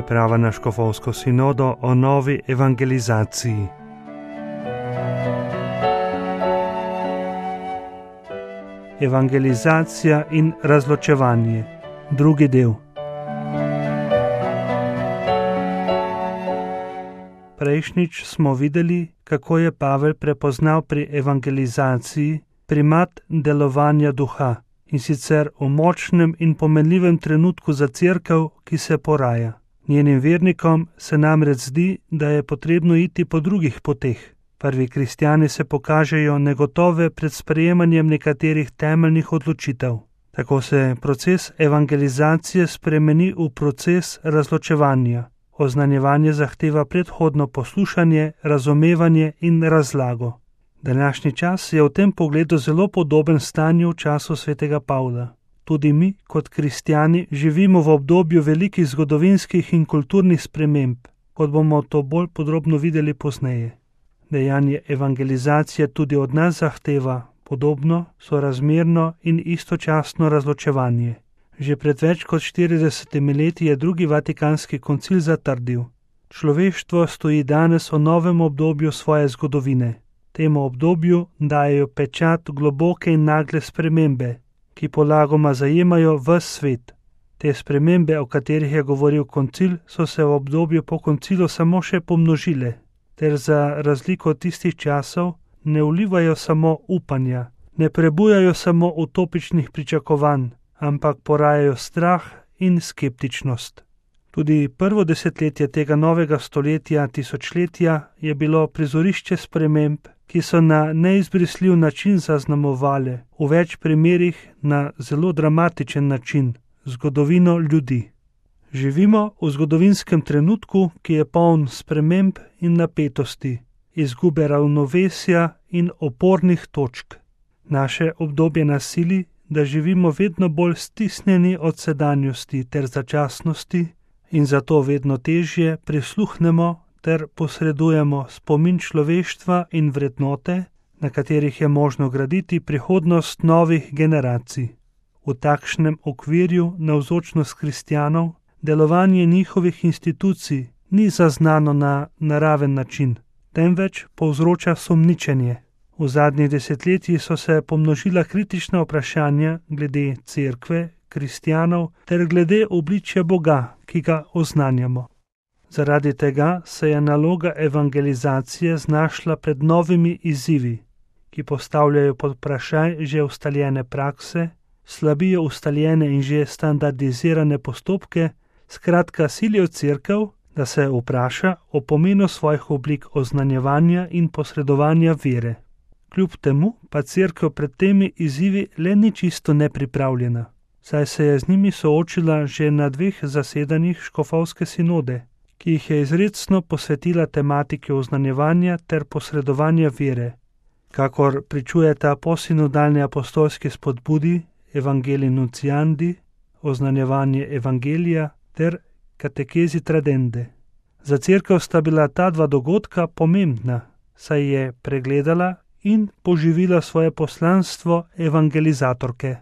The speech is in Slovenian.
priprava na škofovsko sinodo o novi evangelizaciji. Evangelizacija in razločevanje. Drugi del. Prejšnjič smo videli, kako je Pavel prepoznal pri evangelizaciji primat delovanja duha, in sicer v močnem in pomenljivem trenutku za cerkev, ki se poraja. Njenim vernikom se namreč zdi, da je potrebno iti po drugih poteh. Prvi kristjani se pokažejo negotove pred sprejemanjem nekaterih temeljnih odločitev. Tako se proces evangelizacije spremeni v proces razločevanja. Oznanjevanje zahteva predhodno poslušanje, razumevanje in razlago. Današnji čas je v tem pogledu zelo podoben stanju v času svetega Pavla. Tudi mi, kot kristjani, živimo v obdobju velikih zgodovinskih in kulturnih sprememb, kot bomo to bolj podrobno videli pozneje. Dejanje evangelizacije tudi od nas zahteva podobno, sorazmerno in istočasno razločevanje. Že pred več kot 40 leti je drugi vatikanski koncil zatrdil: človeštvo stoji danes v novem obdobju svoje zgodovine. Temu obdobju dajejo pečat globoke in nagle spremembe, ki polagoma zajemajo ves svet. Te spremembe, o katerih je govoril koncil, so se v obdobju po koncilu samo še pomnožile, ter za razliko od tistih časov ne vlivajo samo upanja, ne prebujajo samo utopičnih pričakovanj, ampak porajajo strah in skeptičnost. Tudi prvo desetletje tega novega stoletja, tisočletja, je bilo prizorišče sprememb, ki so na neizbrisljiv način zaznamovale, v več primerih na zelo dramatičen način, zgodovino ljudi. Živimo v zgodovinskem trenutku, ki je poln sprememb in napetosti, izgube ravnovesja in opornih točk. Naše obdobje nas sili, da živimo vedno bolj stisnjeni od sedanjosti ter začasnosti in zato vedno težje prisluhnemo ter posredujemo spomin človeštva in vrednote, na katerih je možno graditi prihodnost novih generacij. V takšnem okvirju navzočnost kristjanov, delovanje njihovih institucij ni zaznano na naraven način, temveč povzroča sumničenje. V zadnjih desetletjih so se pomnožila kritična vprašanja glede cerkve, kristjanov ter glede obličja Boga, ki ga oznanjamo. Zaradi tega se je naloga evangelizacije znašla pred novimi izzivi, ki postavljajo pod vprašaj že ustaljene prakse, slabijo ustaljene in že standardizirane postopke, skratka silijo cerkev, da se vpraša o pomenu svojih oblik oznanjevanja in posredovanja vere. Kljub temu pa cerkev pred temi izzivi le ni čisto nepripravljena, saj se je z njimi soočila že na 2 zasedanjih škofovske sinode, ki jih je izrecno posvetila tematiki oznanjevanja ter posredovanja vere, kakor pričujeta posinodalni apostolski spodbudi Evangelii Nunciandi, oznanjevanje evangelija ter katekezi tradende. Za cerkev sta bila ta 2 dogodka pomembna, saj je pregledala in poživila svoje poslanstvo evangelizatorke.